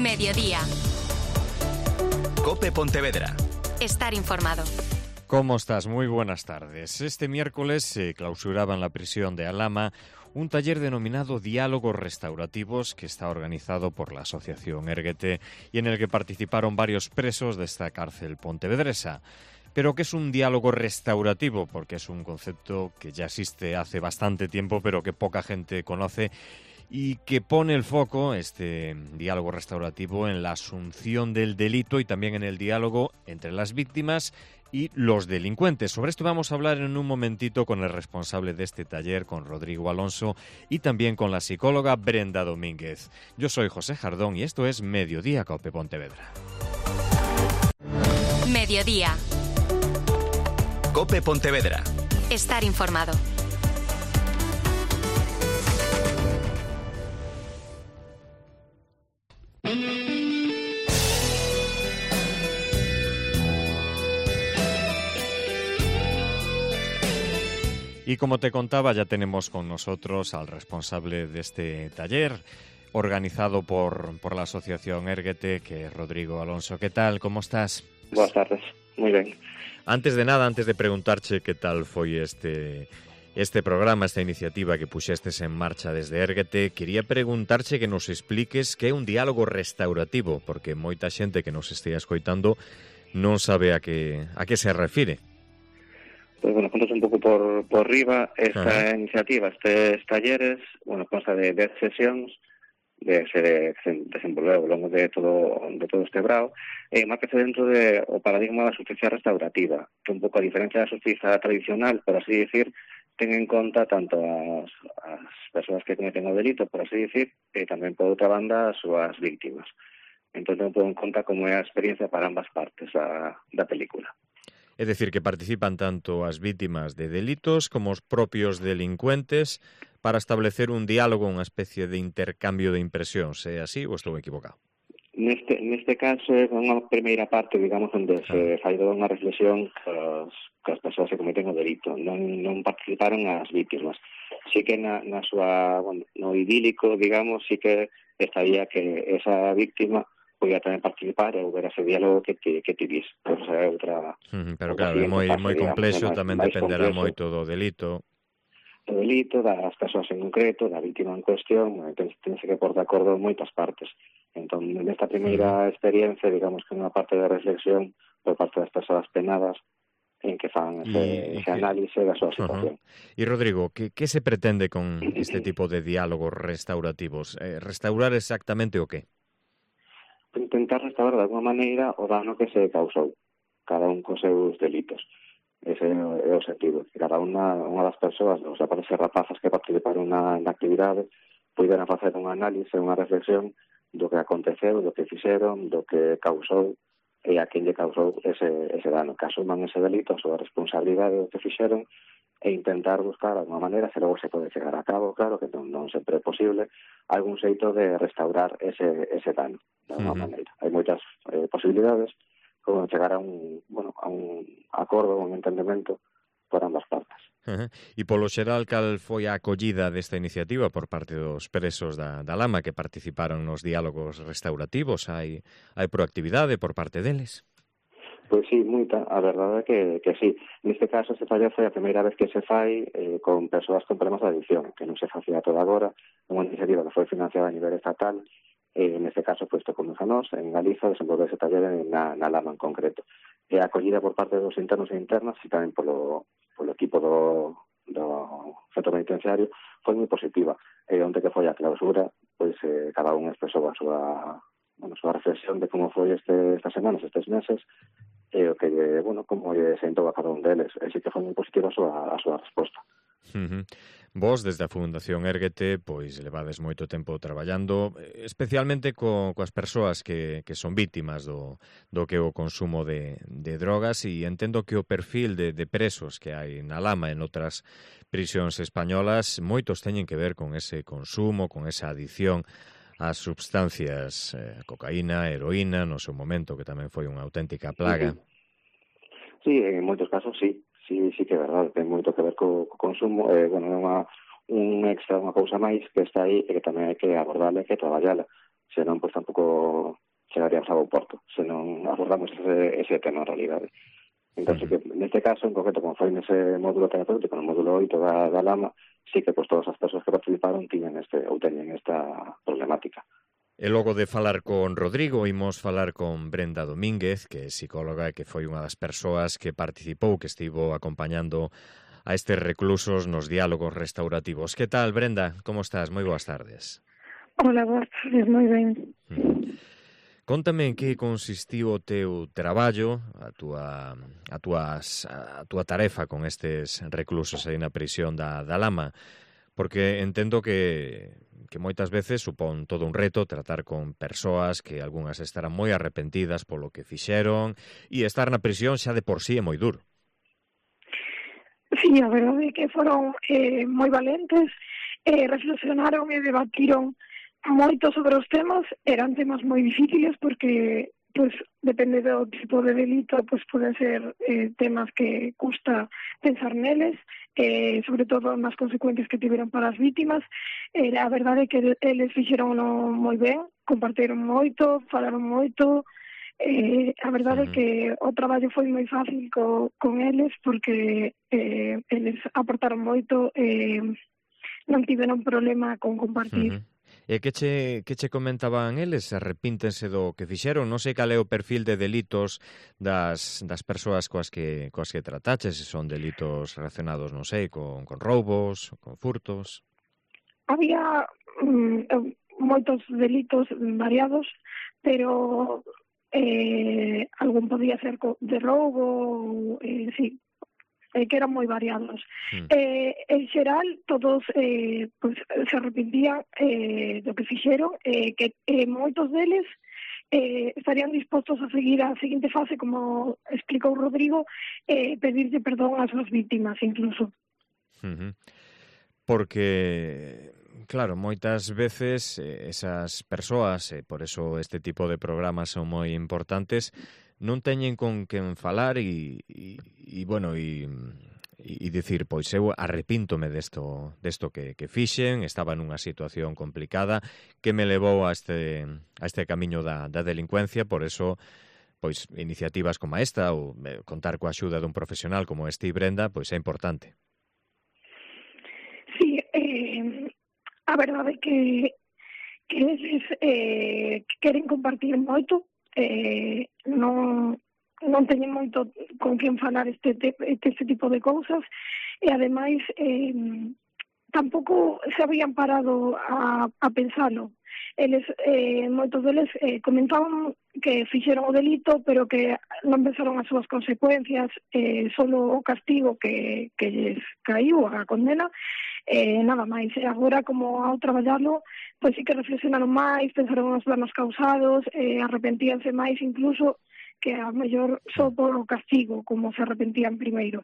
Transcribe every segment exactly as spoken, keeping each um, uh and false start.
Mediodía. COPE Pontevedra. Estar informado. ¿Cómo estás? Muy buenas tardes. Este miércoles se clausuraba en la prisión de Alhama un taller denominado Diálogos Restaurativos que está organizado por la Asociación Érguete y en el que participaron varios presos de esta cárcel pontevedresa. Pero ¿qué es un diálogo restaurativo? Porque es un concepto que ya existe hace bastante tiempo, pero que poca gente conoce y que pone el foco, este diálogo restaurativo, en la asunción del delito y también en el diálogo entre las víctimas y los delincuentes. Sobre esto vamos a hablar en un momentito con el responsable de este taller, con Rodrigo Alonso, y también con la psicóloga Brenda Domínguez. Yo soy José Jardón y esto es Mediodía COPE Pontevedra. Mediodía. COPE Pontevedra. Estar informado. Y como te contaba, ya tenemos con nosotros al responsable de este taller, organizado por, por la Asociación Érguete, que es Rodrigo Alonso. ¿Qué tal? ¿Cómo estás? Buenas tardes, moi ben. Antes de nada, antes de preguntarche que tal foi este este programa, esta iniciativa que puxestes en marcha desde Érguete, quería preguntarche que nos expliques que é un diálogo restaurativo, porque moita xente que nos estea escoitando non sabe a que a que se refire. Pues bueno, contas un pouco por, por riba. Esta Ajá. iniciativa, estes talleres, bueno, consta de dez sesións de se de, desenvolver ao longo de todo de todo este brao, e márcase dentro de o paradigma da justicia restaurativa, que un pouco a diferencia da justicia tradicional, por así decir, ten en conta tanto as, as persoas que cometen o delito, por así decir, e tamén por outra banda as súas víctimas. Entón, ten un pouco en conta como é a experiencia para ambas partes da, da película. É dicir, que participan tanto as vítimas de delitos como os propios delincuentes para establecer un diálogo, unha especie de intercambio de impresións. É así ou estou equivocado? Neste, neste caso é unha primeira parte, digamos, onde se fai toda unha reflexión cos, cos persoas que cometen o delito. Non, non participaron as vítimas. Sí que na, na súa, bueno, no idílico, digamos, sí que estaría que esa víctima podía tamén participar e houber ese diálogo que ti, que ti vis. Pero, o sea, outra, Uh-huh, pero outra claro, é moi, fase, moi digamos, complexo, máis- tamén máis dependerá complexo. moito do delito. Do delito, das persoas en concreto, da vítima en cuestión, entón tense que pôr de acordo moitas partes. Entón, nesta primeira experiencia, digamos que unha parte de reflexión por parte das persoas penadas en que fan ese, Y- y ese que- análise da súa Ajá. situación. E Rodrigo, que, que se pretende con este tipo de diálogos restaurativos? Eh, restaurar exactamente o qué? Intentar restaurar de alguma maneira o dano que se causou, cada un cos seus delitos. Ese é o, é o sentido. Cada unha, unha das persoas, os rapazes e rapazas que participaron na, na actividade, puderan facer un análise, unha reflexión do que aconteceu, do que fixeron, do que causou e a quen lle causou ese, ese dano. Que asuman ese delito, a súa responsabilidade do que fixeron e intentar buscar alguma maneira, se logo se pode chegar a cabo, claro que non, non sempre é posible, algún xeito de restaurar ese, ese dano, de alguma Ujú. maneira. Hai moitas eh, posibilidades, como chegar a un, bueno, a un acordo, un entendemento por ambas partes. Ajá. E polo xeral, cal foi a acollida desta iniciativa por parte dos presos da, da Lama que participaron nos diálogos restaurativos? Hai, hai proactividade por parte deles? Pois sí, moita, a verdade é que, que sí. Neste caso, este taller foi a primeira vez que se fai eh, con persoas con problemas de adicción, que non se facía toda agora, unha iniciativa que foi financiada a nivel estatal, e neste caso, pois, tocou a nós, en Galiza, desenvolver ese taller na, na Lama en concreto. E a acollida por parte dos internos e internas, e tamén polo, polo equipo do, do centro penitenciario, foi moi positiva. E onde que foi a clausura, pois eh, cada un expresou a súa, bueno, a súa reflexión de como foi este, estas semanas, estes meses, e o que, bueno, como lle sentou a cada un deles. E sí que foi moi positiva a súa, a súa resposta. Uh-huh. Vos, desde a Fundación Érguete, pois levades moito tempo traballando, especialmente co, coas persoas que, que son vítimas do, do que é o consumo de, de drogas, e entendo que o perfil de, de presos que hai na Lama e en outras prisións españolas, moitos teñen que ver con ese consumo, con esa adicción ás substancias, eh, cocaína, heroína, no seu momento, que tamén foi unha auténtica plaga. Sí, en moitos casos sí, sí, sí que é verdade, ten moito que ver co, co consumo, eh, bueno, é unha, un extra, unha cousa máis que está aí e que tamén hai que abordarla e que traballala, senón, pois, tampouco chegaríamos ao porto, senón abordamos ese, ese tema en realidade. Entón, que neste caso, en concreto, como foi nese módulo terapéutico, no módulo oito da, da Lama, sí que, pois, todas as persoas que participaron tiñan este, ou teñen esta problemática. E logo de falar con Rodrigo, imos falar con Brenda Domínguez, que é psicóloga e que foi unha das persoas que participou, que estivo acompañando a estes reclusos nos diálogos restaurativos. Que tal, Brenda? Como estás? Moi boas tardes. Hola, boas tardes, moi ben. Mm. Contame en que consistiu o teu traballo, a túa, a, tuas, a túa tarefa con estes reclusos aí na prisión da, da Lama, porque entendo que, que moitas veces supón todo un reto tratar con persoas que algunhas estarán moi arrepentidas polo que fixeron, e estar na prisión xa de por sí é moi duro. Sí, a verdade é que foron eh, moi valentes, eh, reflexionaron e debatiron moito sobre os temas. Eran temas moi difíciles porque, pues, depende do tipo de delito, pues poden ser eh, temas que custa pensar neles, eh, sobre todo nas consecuencias que tiveron para as vítimas. Eh, a verdade é que eles fixeron moi ben, compartiron moito, falaron moito. Eh, a verdade é uh-huh. que o traballo foi moi fácil co, con eles porque eh, eles aportaron moito, eh, non tiveron problema con compartir. Uh-huh. E que che, que che comentaban eles? Arrepíntense do que fixeron? Non sei cal é o perfil de delitos das, das persoas coas que, coas que trataches, se son delitos relacionados, non sei, con, con roubos, con furtos. Había mm, moitos delitos variados, pero eh, algún podía ser de roubo, eh, sí, eh, que eran moi variados. Mm. Eh, en xeral, todos eh, pues, se arrepentían eh, do que fixeron, eh, que eh, moitos deles eh, estarían dispostos a seguir a seguinte fase, como explicou Rodrigo, eh, pedirlle perdón ás súas vítimas, incluso. Uh-huh. Porque, claro, moitas veces eh, esas persoas, eh, por eso este tipo de programas son moi importantes, non teñen con quen falar e, e, e bueno, e, e dicir, pois eu arrepíntome desto, desto que, que fixen, estaba nunha situación complicada que me levou a este, a este camiño da, da delincuencia, por eso, pois, iniciativas como esta, ou eh, contar coa axuda dun profesional como este Brenda, pois é importante. Sí, eh, a verdade é que, que eles eh, queren compartir moito, eh, non, non teñen moito con quen falar este, este, este tipo de cousas, e ademais eh, tampouco se habían parado a, a pensalo. Eles, eh, moitos deles eh, comentaban que fixeron o delito, pero que non pensaron as súas consecuencias, eh, solo o castigo que, que lles caiu, a condena, eh, nada máis. E agora, como ao traballalo, pois sí que reflexionaron máis, pensaron nos danos causados, eh, arrepentíanse máis incluso que a mellor só por o castigo, como se arrepentían primeiro.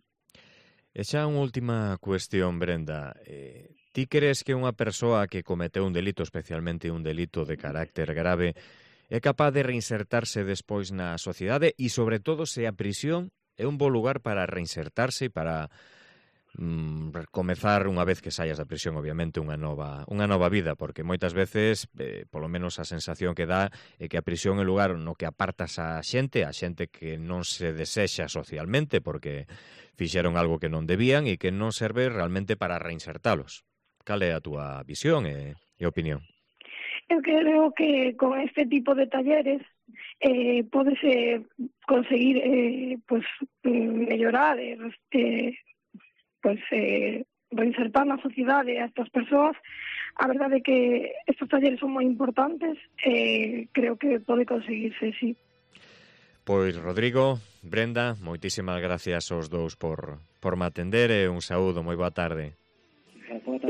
E xa unha última cuestión, Brenda. Eh, ti crees que unha persoa que cometeu un delito, especialmente un delito de carácter grave, é capaz de reinsertarse despois na sociedade e, sobre todo, se a prisión é un bo lugar para reinsertarse e para mm, comezar unha vez que saias da prisión, obviamente, unha nova unha nova vida, porque moitas veces, eh, polo menos a sensación que dá é que a prisión é un lugar no que apartas a xente, a xente que non se desexa socialmente porque fixeron algo que non debían e que non serve realmente para reinsertalos. Cal é a túa visión e, e opinión? Eu creo que con este tipo de talleres eh, pódese conseguir eh, pues, mellorar, eh, pues, eh, reinsertar na sociedade a estas persoas. A verdade é que estes talleres son moi importantes, eh, creo que pode conseguirse, sí. Pois, Rodrigo, Brenda, moitísimas gracias aos dous por, por me atender e un saúdo, moi boa tarde.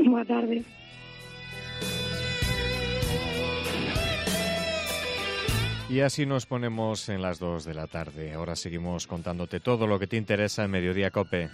Boa tarde. Y así nos ponemos en las dos de la tarde. Ahora seguimos contándote todo lo que te interesa en Mediodía COPE.